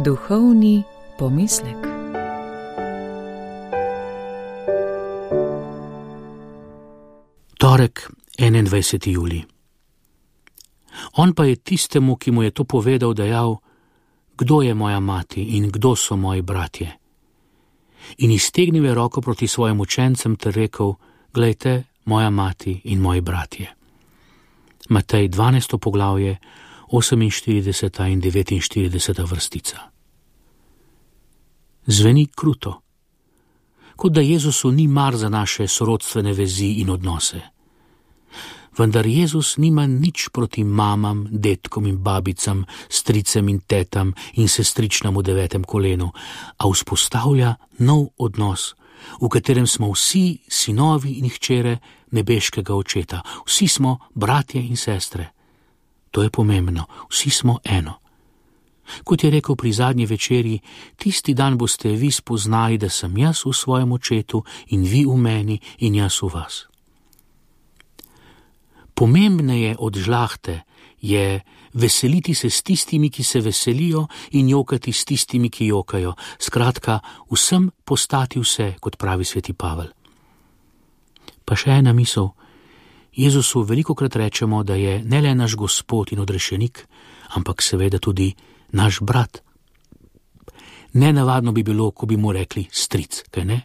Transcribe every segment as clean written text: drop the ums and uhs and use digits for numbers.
Duhovni pomislek. Torek, 21. julij. On pa je tistemu, ki mu je to povedal, dejal: kdo je moja mati in kdo so moji bratje? In iztegnil je roko proti svojim učencem ter rekel: glejte, moja mati in moji bratje. Matej 12. poglavje, 48. in 49. vrstica. Zveni kruto, kot da Jezusu ni mar za naše sorodstvene vezi in odnose. Vendar Jezus nima nič proti mamam, dedkom in babicam, stricem in tetam in sestričnam v 9. kolenu, a vzpostavlja nov odnos, v katerem smo vsi sinovi in hčere nebeškega očeta. Vsi smo bratje in sestre. To je pomembno, vsi smo eno. Kot je rekel pri zadnji večerji, tisti dan boste vi spoznali, da sem jaz v svojem očetu in vi v meni in jaz v vas. Pomembneje od žlahte je veseliti se s tistimi, ki se veselijo, in jokati s tistimi, ki jokajo. Skratka, vsem postati vse, kot pravi sveti Pavel. Pa še ena misel. Jezusu velikokrat rečemo, da je ne le naš Gospod in odrešenik, ampak seveda tudi naš brat. Nenavadno bi bilo, ko bi mu rekli stric, kaj ne?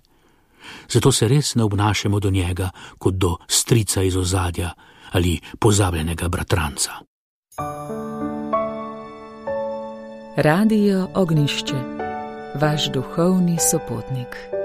Zato se res ne obnašamo do njega kot do strica iz ozadja ali pozabljenega bratranca. Radio Ognjišče, vaš duhovni sopotnik.